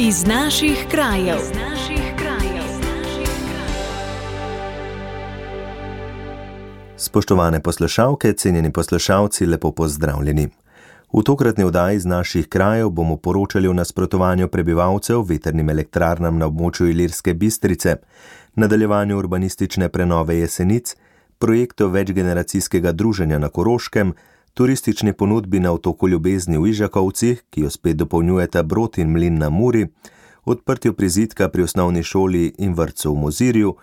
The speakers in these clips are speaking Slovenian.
Iz naših krajev. Spoštovane poslušalke, cenjeni poslušalci, lepo pozdravljeni. V tokratni oddaji iz naših krajev bomo poročali o nasprotovanju prebivalcev vetrnim elektrarnam na območju Ilirske Bistrice, nadaljevanju urbanistične prenove Jesenic, projektu večgeneracijskega druženja na Koroškem, turistični ponudbi na otoku Ljubezni v Ižakovcih, ki jo spet dopolnjujeta Brod in mlin na Muri, odprtju prizidka pri osnovni šoli in vrtcu v Mozirju,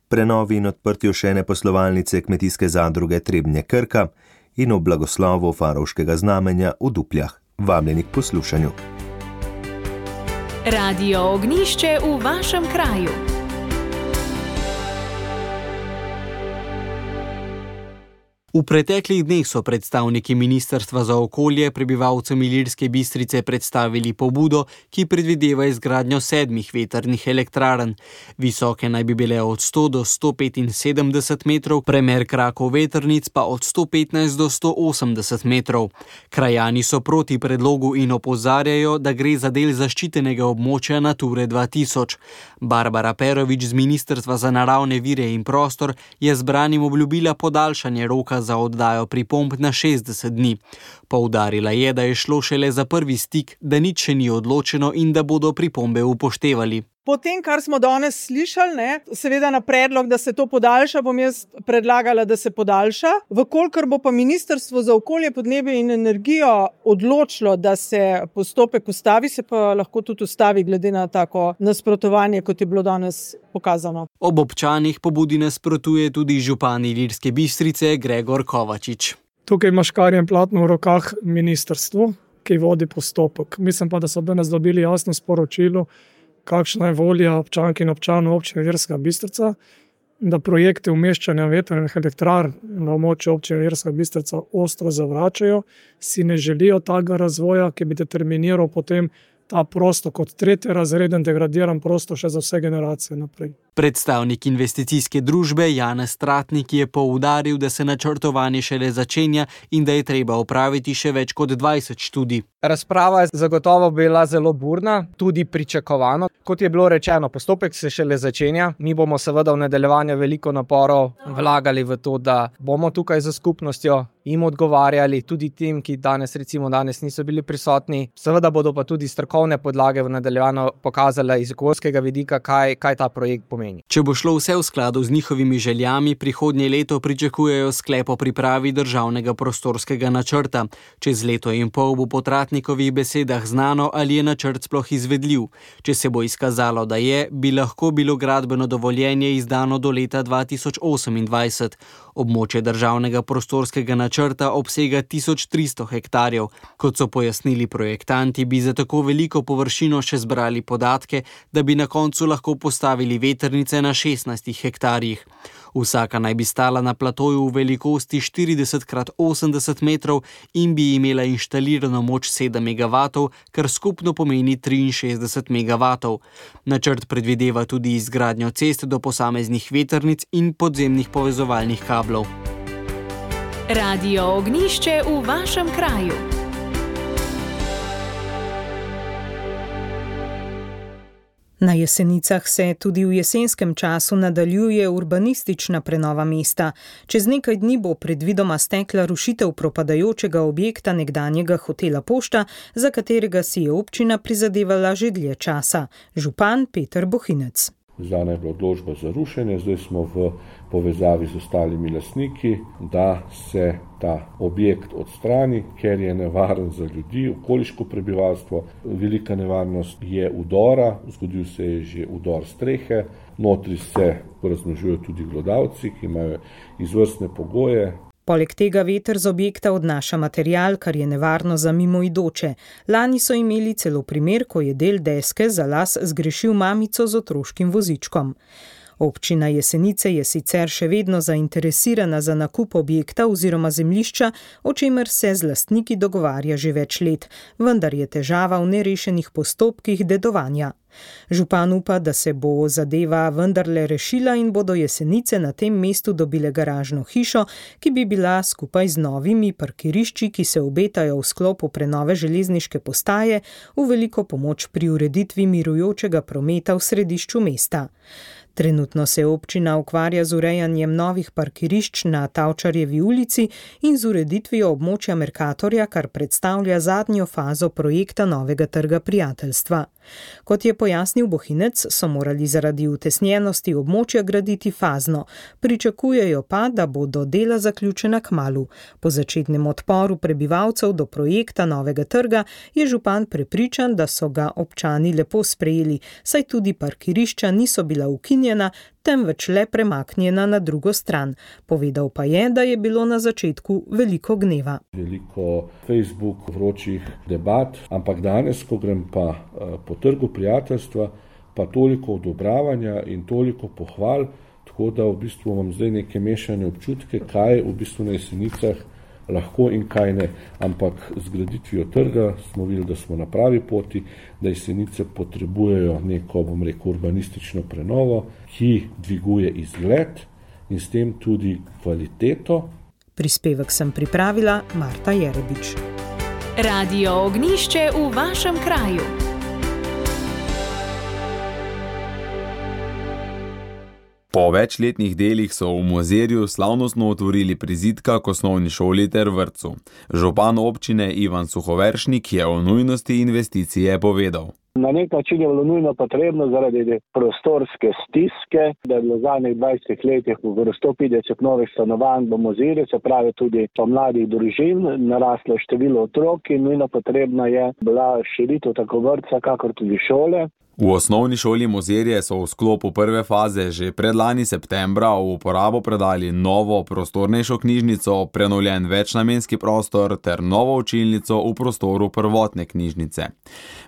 prenovi in odprtju še ene poslovalnice kmetijske zadruge Trebnje Krka in o blagoslovu Farovškega znamenja v Dupljah. Vabljeni k poslušanju. Radio Ognjišče v vašem kraju. V preteklih dneh so predstavniki Ministrstva za okolje prebivalcem Ilirske Bistrice predstavili pobudo, ki predvideva izgradnjo 7 vetrnih elektrarn. Visoke naj bi bile od 100 do 175 metrov, premer krakov vetrnic pa od 115 do 180 metrov. Krajani so proti predlogu in opozarjajo, da gre za del zaščitenega območja Nature 2000. Barbara Perovič z Ministrstva za naravne vire in prostor je zbranim obljubila podaljšanje roka za oddajo pripomb na 60 dni. Poudarila je, da je šlo šele za prvi stik, da nič še ni odločeno in da bodo pripombe upoštevali. Po tem, kar smo danes slišali, seveda na predlog, da se to podaljša, bom jaz predlagala, da se podaljša. Vkolikor bo pa Ministrstvo za okolje, podnebje in energijo odločilo, da se postopek ustavi, se pa lahko tudi ustavi glede na tako nasprotovanje, kot je bilo danes pokazano. Ob občanih pobudi nasprotuje tudi župan Ilirske Bistrice Gregor Kovačič. Tukaj ima škarje in platno v rokah ministrstvo, ki vodi postopek. Mislim pa, da so danes dobili jasno sporočilo, kakšna je volja občank in občanov občine Ilirska Bistrica, da projekte umeščanja vetrnih elektrarn na območju občine Ilirska Bistrica ostro zavračajo, si ne želijo takega razvoja, ki bi determiniral potem ta prostor kot tretjerazreden degradiran prostor še za vse generacije naprej. Predstavnik investicijske družbe Janez Tratnik je poudaril, da se načrtovanje šele začenja in da je treba opraviti še več kot 20 študij. Razprava je zagotovo bila zelo burna, tudi pričakovano. Kot je bilo rečeno, postopek se šele začenja. Mi bomo seveda v nadaljevanju veliko naporov vlagali v to, da bomo tukaj za skupnostjo jim odgovarjali, tudi tem, ki danes niso bili prisotni. Seveda bodo pa tudi strokovne podlage v nadaljevanju pokazale iz okoljskega vidika, kaj ta projekt pomeni. Če bo šlo vse v skladu z njihovimi željami, prihodnje leto pričakujejo sklep o pripravi državnega prostorskega načrta. Čez leto in pol bo po Tratnikovih besedah znano, ali je načrt sploh izvedljiv. Če se bo izkazalo, da je, bi lahko bilo gradbeno dovoljenje izdano do leta 2028. Območje državnega prostorskega načrta obsega 1300 hektarjev. Kot so pojasnili projektanti, bi za tako veliko površino še zbrali podatke, da bi na koncu lahko postavili vetrnice na 16 hektarjih. Vsaka naj bi stala na platoju v velikosti 40x80 metrov in bi imela inštalirano moč 7 megavatov, kar skupno pomeni 63 megavatov. Načrt predvideva tudi izgradnjo cest do posameznih vetrnic in podzemnih povezovalnih kablov. Radio Ognjišče v vašem kraju. Na Jesenicah se tudi v jesenskem času nadaljuje urbanistična prenova mesta. Čez nekaj dni bo predvidoma stekla rušitev propadajočega objekta nekdanjega hotela Pošta, za katerega si je občina prizadevala že dlje časa. Župan Peter Bohinec. Izdana je bila odločba za rušenje, zdaj smo v povezavi z ostalimi lastniki, da se ta objekt odstrani, ker je nevaren za ljudi, okoliško prebivalstvo. Velika nevarnost je udora, zgodil se je že udor strehe, notri se razmnožujejo tudi glodavci, ki imajo izvrstne pogoje. Poleg tega veter z objekta odnaša material, kar je nevarno za mimoidoče. Lani so imeli celo primer, ko je del deske za las zgrešil mamico z otroškim vozičkom. Občina Jesenice je sicer še vedno zainteresirana za nakup objekta oziroma zemljišča, o čemer se z lastniki dogovarja že več let, vendar je težava v nerešenih postopkih dedovanja. Župan upa, da se bo zadeva vendarle rešila in bodo Jesenice na tem mestu dobile garažno hišo, ki bi bila skupaj z novimi parkirišči, ki se obetajo v sklopu prenove železniške postaje, v veliko pomoč pri ureditvi mirujočega prometa v središču mesta. Trenutno se občina ukvarja z urejanjem novih parkirišč na Tavčarjevi ulici in z ureditvijo območja Mercatorja, kar predstavlja zadnjo fazo projekta novega trga prijateljstva. Kot je pojasnil Bohinec, so morali zaradi utesnjenosti območja graditi fazno, pričakujejo pa, da bodo dela zaključena kmalu. Po začetnem odporu prebivalcev do projekta novega trga je župan prepričan, da so ga občani lepo sprejeli, saj tudi parkirišča niso bila ukinjena, temveč le premaknjena na drugo stran. Povedal pa je, da je bilo na začetku veliko gneva. Veliko Facebook vročih debat, ampak danes, ko grem pa po trgu prijateljstva, pa toliko odobravanja in toliko pohval, tako da v bistvu imam zdaj neke mešane občutke, kaj v bistvu na Jesenicah lahko in kaj ne. Ampak z graditvijo trga smo videli, da smo na pravi poti, da Jesenice potrebujejo neko, urbanistično prenovo, ki dviguje izgled in s tem tudi kvaliteto. Prispevek sem pripravila Marta Jerebič. Radio Ognjišče v vašem kraju. Po večletnih delih so v Mozirju slavnostno otvorili prizidka k osnovni šoli ter vrtcu. Župan občine Ivan Suhoveršnik je o nujnosti investicije povedal. Na nek način je bilo nujno potrebno zaradi prostorske stiske, da je bilo v zadnjih 20 letih v 150 novih stanovanj v Mozirju, se pravi tudi po mladih družin, naraslo število otrok in nujno potrebna je bila širitev tako vrtca, kakor tudi šole. V osnovni šoli Mozirje so v sklopu prve faze že predlani septembra v uporabo predali novo prostornejšo knjižnico, prenovljen večnamenski prostor ter novo učilnico v prostoru prvotne knjižnice.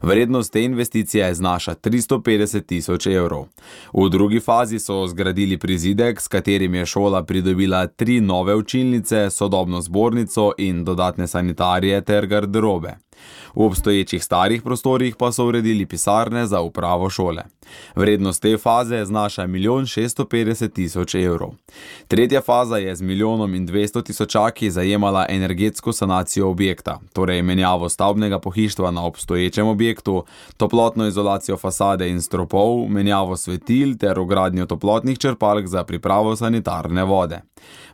Vrednost te investicije znaša 350 000 evrov. V drugi fazi so zgradili prizidek, s katerim je šola pridobila 3 nove učilnice, sodobno zbornico in dodatne sanitarije ter garderobe. V obstoječih starih prostorih pa so uredili pisarne za upravo šole. Vrednost te faze znaša 1 650 000 evrov. Tretja faza je z 1 200 000 zajemala energetsko sanacijo objekta, torej menjavo stavbnega pohištva na obstoječem objektu, toplotno izolacijo fasade in stropov, menjavo svetil ter vgradnjo toplotnih črpalk za pripravo sanitarne vode.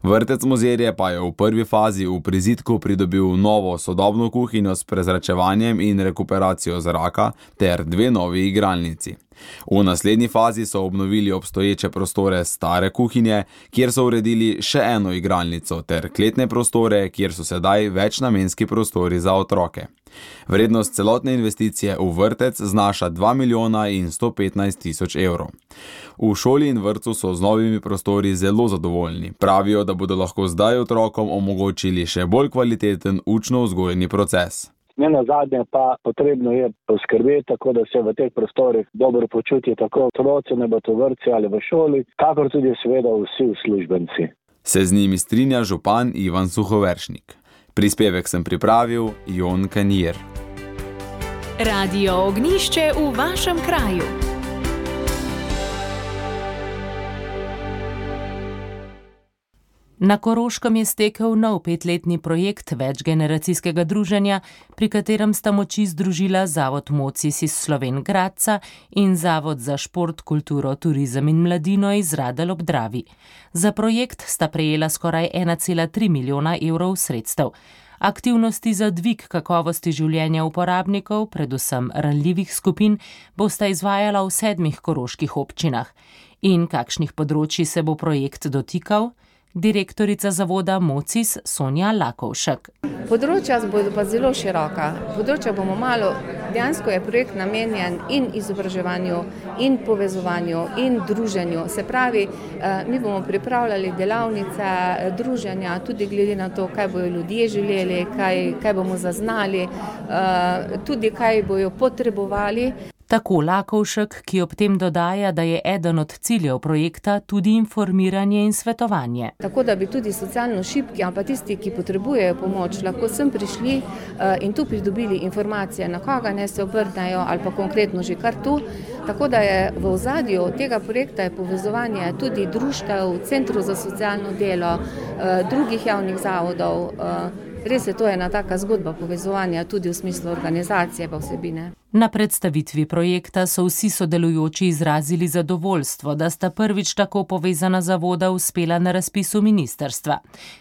Vrtec Mozirje pa je v prvi fazi v prizidku pridobil novo sodobno kuhinjo s prezračevanjem in rekuperacijo zraka ter 2 novi igralnici. V naslednji fazi so obnovili obstoječe prostore stare kuhinje, kjer so uredili še eno igralnico ter kletne prostore, kjer so sedaj večnamenski prostori za otroke. Vrednost celotne investicije v vrtec znaša 2 115 000 evrov. V šoli in vrtcu so z novimi prostori zelo zadovoljni. Pravijo, da bodo lahko zdaj otrokom omogočili še bolj kvaliteten učno-vzgojni proces. Ne nazadnje pa potrebno je poskrbeti tako, da se v teh prostorih dobro počutijo tako otroci, ne bo to vrtci ali v šoli, kakor tudi seveda vsi uslužbenci. Se z njimi strinja župan Ivan Suhoveršnik. Prispevek sem pripravil Jon Kanjer. Radio Ognjišče v vašem kraju. Na Koroškem je stekel nov 5-letni projekt večgeneracijskega druženja, pri katerem sta moči združila Zavod Mocis iz Slovenj Gradca in Zavod za šport, kulturo, turizem in mladino iz Radelj ob Dravi. Za projekt sta prejela skoraj 1,3 milijona evrov sredstev. Aktivnosti za dvig kakovosti življenja uporabnikov, predvsem ranljivih skupin, bosta izvajala v 7 koroških občinah. In kakšnih področji se bo projekt dotikal? Direktorica zavoda Mocis Sonja Lakovšek. Področja bodo pa zelo široka. Področja bomo malo, dejansko je projekt namenjen in izobraževanju, in povezovanju, in druženju. Se pravi, mi bomo pripravljali delavnice druženja, tudi glede na to, kaj bojo ljudje želeli, kaj bomo zaznali, tudi kaj bojo potrebovali. Tako Lakovšek, ki ob tem dodaja, da je eden od ciljev projekta tudi informiranje in svetovanje. Tako da bi tudi socialno šibki, ali pa tisti, ki potrebujejo pomoč, lahko sem prišli in tu pridobili informacije, na koga ne se obrnejo ali pa konkretno že kar tu. Tako da je v ozadju tega projekta je povezovanje tudi društev, centrov za socialno delo, drugih javnih zavodov. Res je, to ena taka zgodba povezovanja tudi v smislu organizacije pa vsebine. Na predstavitvi projekta so vsi sodelujoči izrazili zadovoljstvo, da sta prvič tako povezana zavoda uspela na razpisu ministrstva.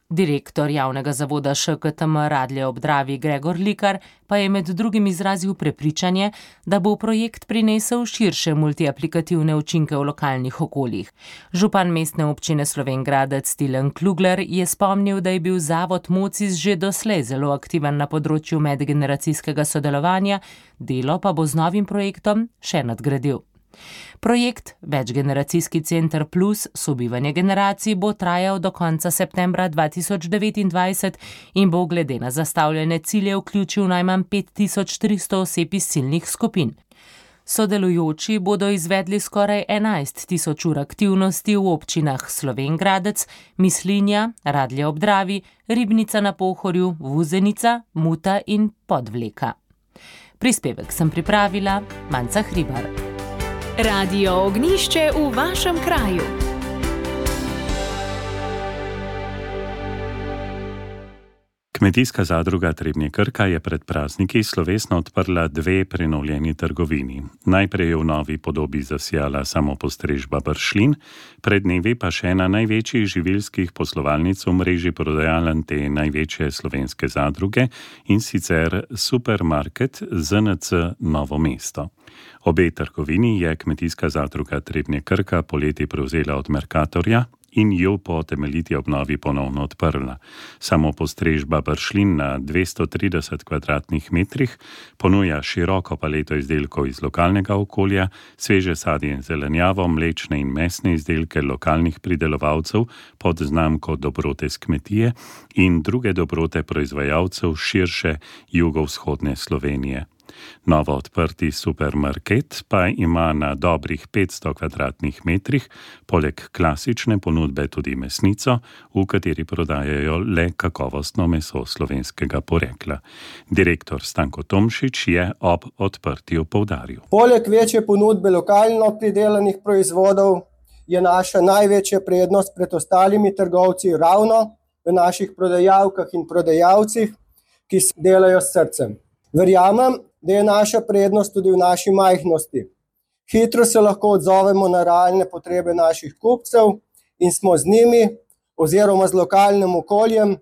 Direktor javnega zavoda ŠKTM Radlje ob Dravi Gregor Likar pa je med drugim izrazil prepričanje, da bo projekt prinesel širše multiaplikativne učinke v lokalnih okoljih. Župan mestne občine Slovenj Gradec Tilen Klugler je spomnil, da je bil zavod Mocis že doslej zelo aktiven na področju medgeneracijskega sodelovanja, delo pa bo z novim projektom še nadgradil. Projekt Večgeneracijski center plus sobivanje generacij bo trajal do konca septembra 2029 in bo glede na zastavljene cilje vključil najmanj 5300 oseb iz ciljnih skupin. Sodelujoči bodo izvedli skoraj 11.000 ur aktivnosti v občinah Slovenj Gradec, Mislinja, Radlje ob Dravi, Ribnica na Pohorju, Vuzenica, Muta in Podvleka. Prispevek sem pripravila Manca Hribar. Radio Ognjišče v vašem kraju. Kmetijska zadruga Trebnje Krka je pred prazniki slovesno odprla 2 prenovljeni trgovini. Najprej je v novi podobi zasijala samopostrežba Bršljin, pred dnevi pa še ena največjih živilskih poslovalnic v mreži prodajaln te največje slovenske zadruge, in sicer supermarket ZNC Novo mesto. Obe trgovini je Kmetijska zadruga Trebnje Krka poleti prevzela od Mercatorja in jo po temeljiti obnovi ponovno odprla. Samopostrežba Bršljin na 230 kvadratnih metrih ponuja široko paleto izdelkov iz lokalnega okolja, sveže sadje in zelenjavo, mlečne in mesne izdelke lokalnih pridelovalcev pod znamko Dobrote s kmetije in druge dobrote proizvajalcev širše jugovzhodne Slovenije. Novo odprti supermarket pa ima na dobrih 500 kvadratnih metrih poleg klasične ponudbe tudi mesnico, v kateri prodajajo le kakovostno meso slovenskega porekla. Direktor Stanko Tomšič je ob odprtju poudaril. Poleg večje ponudbe lokalno pridelanih proizvodov je naša največja prednost pred ostalimi trgovci ravno v naših prodajalkah in prodajalcih, ki delajo s srcem. Verjamem, da je naša prednost tudi v naši majhnosti. Hitro se lahko odzovemo na realne potrebe naših kupcev in smo z njimi oziroma z lokalnim okoljem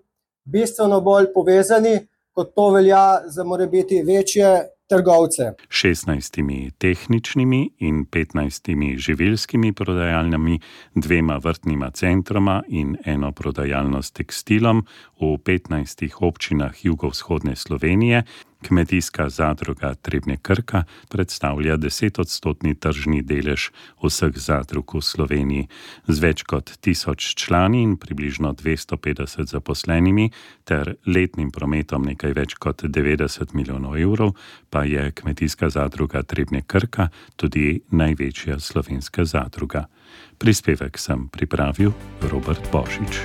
bistveno bolj povezani, kot to velja za morebiti večje trgovce. 16 tehničnimi in 15 živilskimi prodajalnami, 2 vrtnima centroma in 1 prodajalno s tekstilom v 15 občinah jugovzhodne Slovenije, Kmetijska zadruga Trebnje Krka predstavlja 10% tržni delež vseh zadrug v Sloveniji. Z več kot 1000 člani in približno 250 zaposlenimi ter letnim prometom nekaj več kot 90 milijonov evrov pa je Kmetijska zadruga Trebnje Krka tudi največja slovenska zadruga. Prispevek sem pripravil Robert Božič.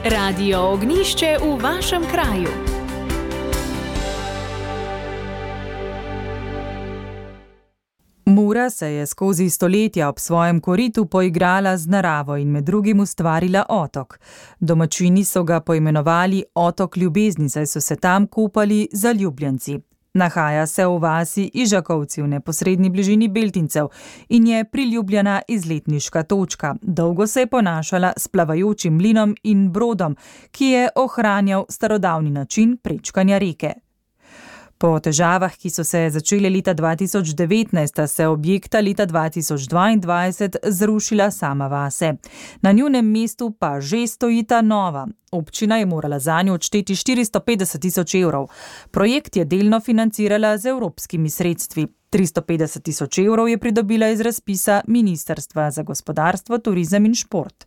Radio Ognjišče v vašem kraju. Mura se je skozi stoletja ob svojem koritu poigrala z naravo in med drugim ustvarila otok. Domačini so ga poimenovali Otok ljubezni, saj so se tam kupali zaljubljenci. Nahaja se v vasi Ižakovci v neposredni bližini Beltincev in je priljubljena izletniška točka. Dolgo se je ponašala s plavajočim mlinom in brodom, ki je ohranjal starodavni način prečkanja reke. Po težavah, ki so se začele leta 2019, se objekta leta 2022 zrušila sama vase. Na njunem mestu pa že stojita nova. Občina je morala zanjo odšteti 450 000 evrov. Projekt je delno financirala z evropskimi sredstvi. 350 000 evrov je pridobila iz razpisa Ministrstva za gospodarstvo, turizem in šport.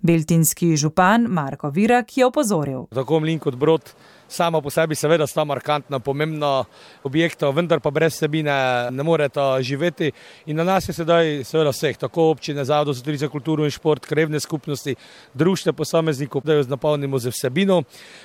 Beltinski župan Marko Virak je opozoril. Tako mlin kot brod Sama po sebi seveda sta markantna, pomembna objekta, vendar pa brez vsebine ne moreta živeti. In na nas je sedaj seveda vseh, tako občine, Zavod za turizem, kulturo in šport, krajevne skupnosti, društva posameznikov, da jo napolnimo z vsebino.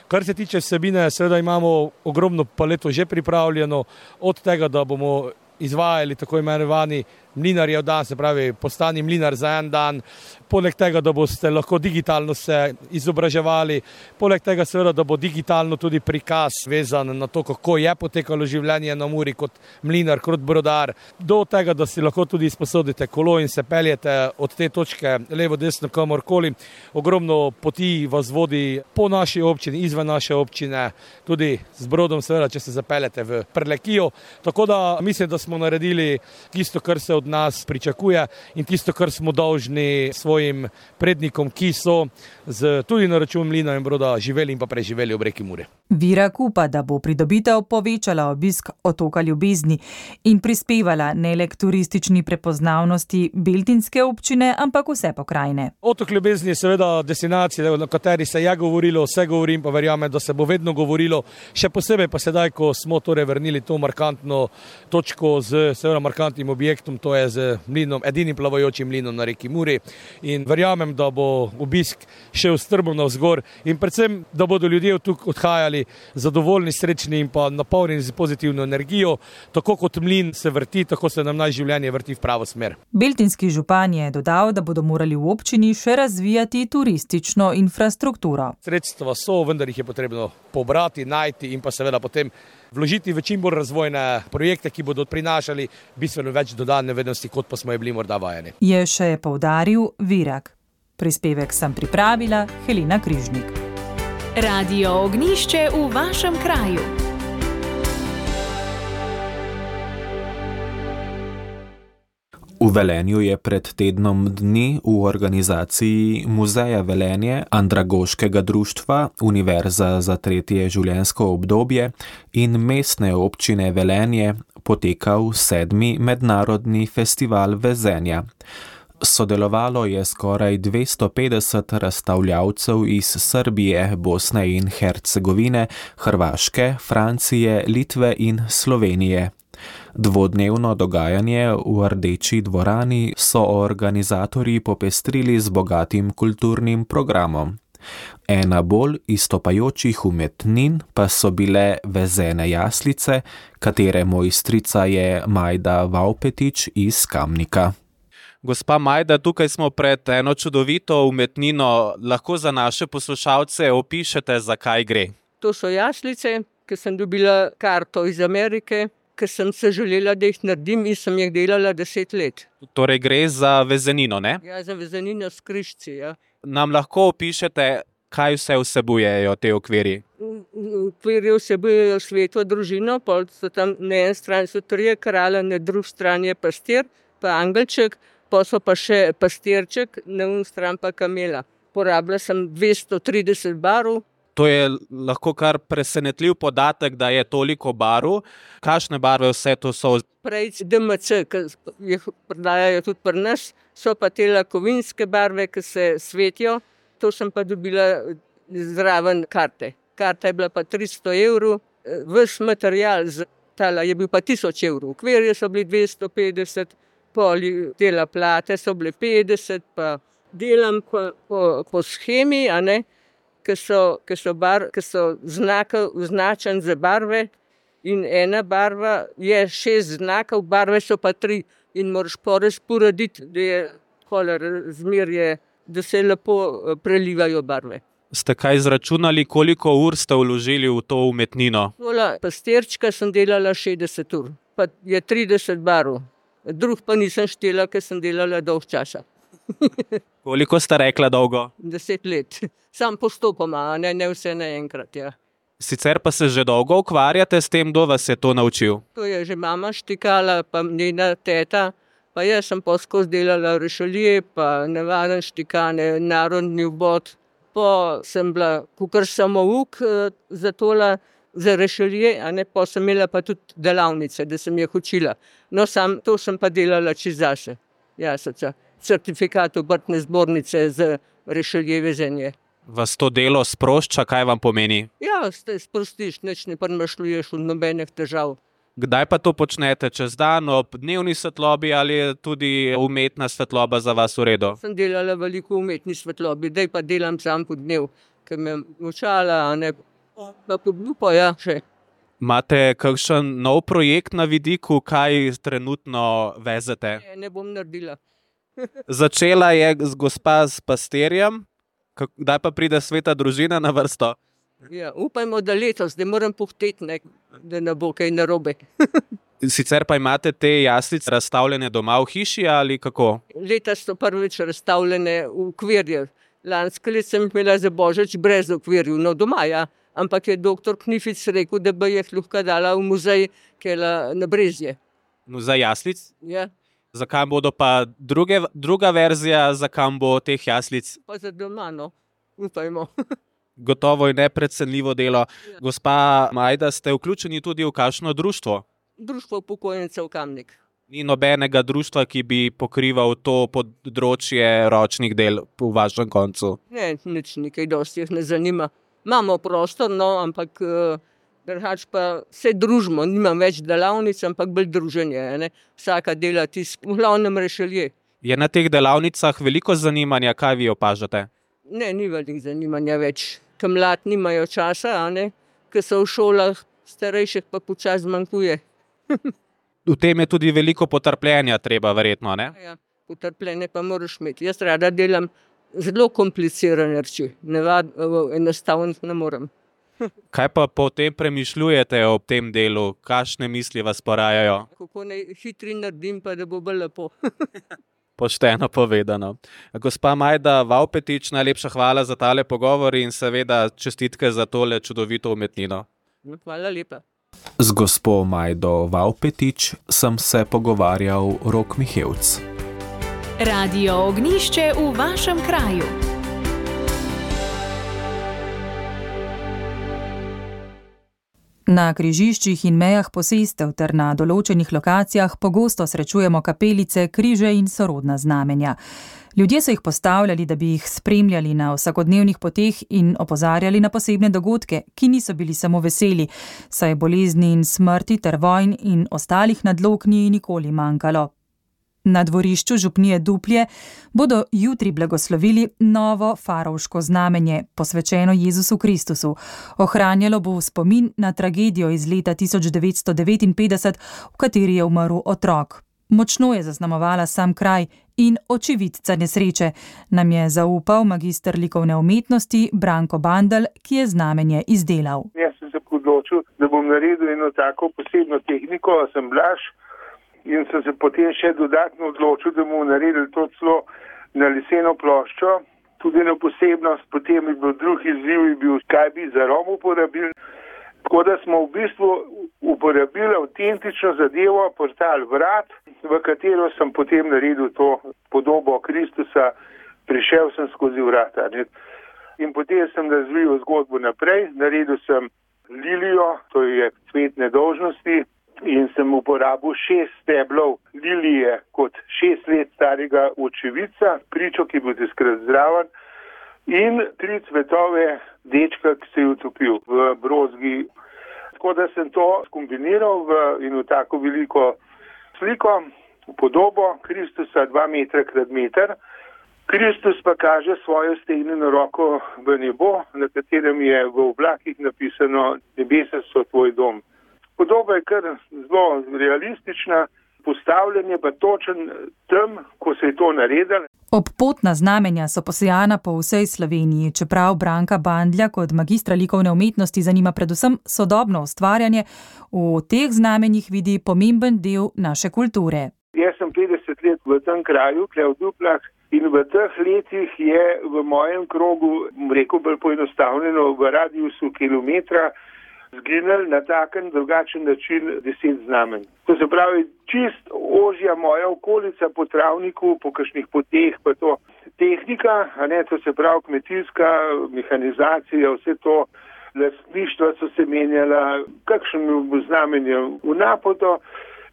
Kar se tiče vsebine, seveda imamo ogromno paleto že pripravljeno, od tega, da bomo izvajali tako imenovani mlinarjev dan, se pravi postani mlinar za en dan, poleg tega, da boste lahko digitalno se izobraževali, poleg tega seveda, da bo digitalno tudi prikaz vezan na to, kako je potekalo življenje na Muri kot mlinar, kot brodar, do tega, da si lahko tudi izposodite kolo in se peljete od te točke levo, desno, kamorkoli. Ogromno poti vas vodi po naši občini, izven naše občine, tudi z brodom seveda, če se zapeljete v Prlekijo. Tako da mislim, da smo naredili tisto, kar se od nas pričakuje in tisto, kar smo dolžni svojim prednikom, ki so tudi na račun mlina in broda živeli in pa preživeli ob reki Muri. Virak upa, da bo pridobitev povečala obisk otoka Ljubezni in prispevala ne le k turistični prepoznavnosti beltinske občine, ampak vse pokrajine. Otok Ljubezni je seveda destinacija, na kateri se je govorilo, vse govorim, pa verjamem, da se bo vedno govorilo, še posebej pa sedaj, ko smo torej vrnili to markantno točko z seveda markantnim objektom, to je z mlinom, edinim plavajočim mlinom na reki Muri, in verjamem, da bo obisk šel strmo navzgor in predvsem, da bodo ljudje tukaj odhajali zadovoljni, srečni in pa napolnjeni z pozitivno energijo. Tako kot mlin se vrti, tako se nam naše življenje vrti v pravo smer. Beltinski župan je dodal, da bodo morali v občini še razvijati turistično infrastrukturo. Sredstva so, vendar jih je potrebno pobrati, najti in pa seveda potem vložiti v čim bolj razvojne projekte, ki bodo prinašali bistveno več dodane vrednosti, kot pa smo je bili morda vajeni. Je še poudaril Virak. Prispevek sem pripravila Helena Križnik. Radio Ognjišče v vašem kraju. V Velenju je pred tednom dni v organizaciji Muzeja Velenje, Andragoškega društva, Univerza za tretje življenjsko obdobje in mestne občine Velenje potekal 7. mednarodni festival vezenja. Sodelovalo je skoraj 250 razstavljavcev iz Srbije, Bosne in Hercegovine, Hrvaške, Francije, Litve in Slovenije. Dvodnevno dogajanje v Rdeči dvorani so organizatorji popestrili z bogatim kulturnim programom. Ena bolj izstopajočih umetnin pa so bile vezene jaslice, katere mojstrica je Majda Vaupetič iz Kamnika. Gospa Majda, tukaj smo pred eno čudovito umetnino. Lahko za naše poslušalce opišete, za kaj gre? To so jaslice, ki sem dobila karto iz Amerike, ker sem se želela, da jih naredim in sem jih delala 10 let. Torej gre za vezenino, ne? Ja, za vezenino s križci, ja. Nam lahko opišete, kaj vse vsebujejo te okvirji? Okvirji vsebujejo sveto družino, pol so tam na eni strani so 3 kralja, na drugi strani je pastir, pa angelček, pa so pa še pastirček, na eni strani pa kamela. Porabila sem 230 barv. To je lahko kar presenetljiv podatek, da je toliko barv. Kakšne barve vse to so? Prej DMC, ki jih prodajajo tudi pri nas, so pa te kovinske barve, ki se svetijo. To sem pa dobila zraven karte. Karta je bila pa 300 €, ves material je bil pa 1000 €. Okvirje so bili 250, poli dela plate so bile 50, pa delam po shemi, a ne? Ki so označeni za barve in ena barva je 6 znakov, barve so pa 3 in moraš porazporediti, da je razmerje, da se lepo prelivajo barve. Ste kaj izračunali, koliko ur ste vložili v to umetnino? Pastirčka sem delala 60 ur, pa je 30 barv. Drug pa nisem štela, ker sem delala dolg časa. Koliko ste rekla dolgo? 10 let. Sam postopoma, ne vse naenkrat, ja. Sicer pa se že dolgo ukvarjate s tem, kdo vas je to naučil? To je že mama štikala, pa njena teta, pa jaz sem poskozi delala rešelje, pa navaden štikane, narodni vbod. Pa sem bila kakor samouk za tole, za rešelje, a ne, pa sem imela pa tudi delavnice, da sem jih učila. No, to sem pa delala čez zase. Certifikat obrtne zbornice za rešelje vezenje. Vas to delo sprošča, kaj vam pomeni? Ja, se sprostiš, nič ne premešljuješ v nobenih težav. Kdaj pa to počnete? Čez dan, ob dnevni svetlobi ali je tudi umetna svetloba za vas v redu? Sem delala veliko umetni svetlobi, zdaj pa delam sam po dnev, ker me učala, a ne pa podlupo, ja, še. Imate kakšen nov projekt na vidiku, kaj trenutno vezete? Ne bom naredila. Začela je gospa s pastirjem, kdaj pa pride sveta družina na vrsto? Ja, upajmo, da letos, da moram pohteti, da ne bo kaj narobe. Sicer pa imate te jaslice razstavljene doma v hiši ali kako? Letos so prvič razstavljene v okvirju. Lansko let sem imela za Božič brez okvirju, no doma, ja. Ampak je doktor Knific rekel, da bi jih lahko dala v muzej, ki je na Brezje. Muzej jaslic? Ja. Zakaj bodo pa druga verzija, zakaj bo teh jaslic? Pa za doma, no. Upajmo. Gotovo je neprecenljivo delo. Ja. Gospa Majda, ste vključeni tudi v kakšno društvo? Društvo upokojencev Kamnik. Ni nobenega društva, ki bi pokrival to področje ročnih del v vašem koncu? Ne, nič nekaj dosti jih ne zanima. Imamo prostor, no, ampak drugače pa se družimo. Nimam več delavnic, ampak bolj druženje. Ne? Vsaka dela tisk, v glavnem rešelje. Je na teh delavnicah veliko zanimanja, kaj vi opažate? Ne, ni veliko zanimanja več. Ker mlad nimajo časa, a ne? Ker so v šolah, starejših pa počas zmanjkuje. V tem je tudi veliko potrpljenja treba, verjetno, ne? Ja, potrpljenje pa moraš imeti. Jaz rada delam zelo komplicirane reči. Enostavno ne morem. Kaj pa potem premišljujete ob tem delu? Kakšne misli vas porajajo? Kako naj hitri naredim, pa da bo bolj lepo. Pošteno povedano. Gospa Majda Vavpetič, najlepša hvala za tale pogovor in seveda čestitke za tole čudovito umetnino. Hvala lepa. Z gospo Majdo Vavpetič sem se pogovarjal Rok Mihevc. Radio Ognjišče v vašem kraju. Na križiščih in mejah posestev ter na določenih lokacijah pogosto srečujemo kapelice, križe in sorodna znamenja. Ljudje so jih postavljali, da bi jih spremljali na vsakodnevnih poteh in opozarjali na posebne dogodke, ki niso bili samo veseli, saj bolezni in smrti ter vojn in ostalih nadlog ni nikoli manjkalo. Na dvorišču župnije Duplje bodo jutri blagoslovili novo farovško znamenje, posvečeno Jezusu Kristusu. Ohranjalo bo spomin na tragedijo iz leta 1959, v kateri je umrl otrok. Močno je zaznamovala sam kraj in očividca nesreče, nam je zaupal magister likovne umetnosti Branko Bandelj, ki je znamenje izdelal. Jaz sem se odločil, da bom naredil eno tako posebno tehniko, asemblaž, in sem se potem še dodatno odločil, da bomo naredili to celo na leseno ploščo. Tudi eno posebnost, potem je bil drug izziv, kaj bi za rom uporabili. Tako da smo v bistvu uporabili avtentično zadevo, portal vrat, v katero sem potem naredil to podobo Kristusa, prišel sem skozi vrata. In potem sem razvil zgodbo naprej, naredil sem lilijo, to je cvet nedolžnosti, in sem uporabil 6 steblov lilije kot 6 let starega očividca, pričo, ki bo takrat zraven, in 3 cvetove dečka, ki se je utopil v brozgi. Tako da sem to skombiniral in v tako veliko sliko, podobo Kristusa 2 metra krat meter. Kristus pa kaže svojo stegnjeno roko v nebo, na katerem je v oblakih napisano: nebesa so tvoj dom. Podoba je kar zelo realistična, postavljanje pa točen tam, ko se je to naredilo. Obpotna znamenja so posejana po vsej Sloveniji, čeprav Branka Bandlja kot magistra likovne umetnosti zanima predvsem sodobno ustvarjanje, v teh znamenjih vidi pomemben del naše kulture. Jaz sem 50 let v tem kraju, tukaj v Duplah, in v teh letih je v mojem krogu, rekel bolj poenostavljeno, v radiusu kilometra zginili na taken drugačen način 10 znamenj. To se pravi, čist ožja moja okolica po travniku, po kakšnih poteh, pa to tehnika, a ne, to se pravi kmetijska mehanizacija, vse to lastništva so se menjala, kakšen znamenje v napoto,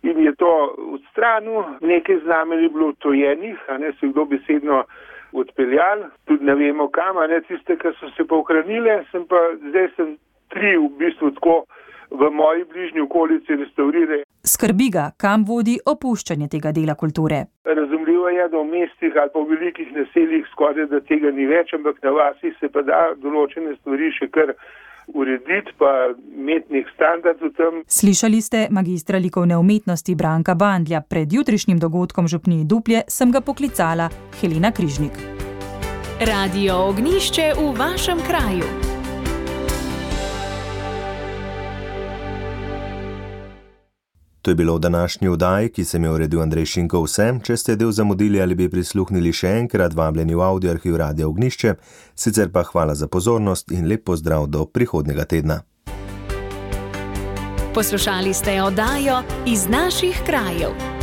in je to odstranil, nekaj znamenj je bilo tojenih, a ne, se kdo besedno odpeljali, tudi ne vemo kam, ne tiste, ki so se pa ohranile, zdaj sem 3 v bistvu tako v moji bližnji okolici restaurirali. Skrbi ga, kam vodi opuščanje tega dela kulture. Razumljivo je, da v mestih ali pa v velikih naseljih skoraj da tega ni več, ampak na vasi se pa da določene stvari še kar urediti, pa imeti nek standard v tem. Slišali ste magistra likovne umetnosti Branka Bandlja. Pred jutrišnjim dogodkom v župniji Duplje sem ga poklicala Helena Križnik. Radio Ognjišče v vašem kraju. To je bilo v današnji oddaji, ki sem jo uredil Andrej Šinko. Vse, če ste del zamudili ali bi prisluhnili še enkrat, vabljeni v audio arhiv Radia Ognjišče. Sicer pa hvala za pozornost in lep pozdrav do prihodnjega tedna. Poslušali ste oddajo Iz naših krajev.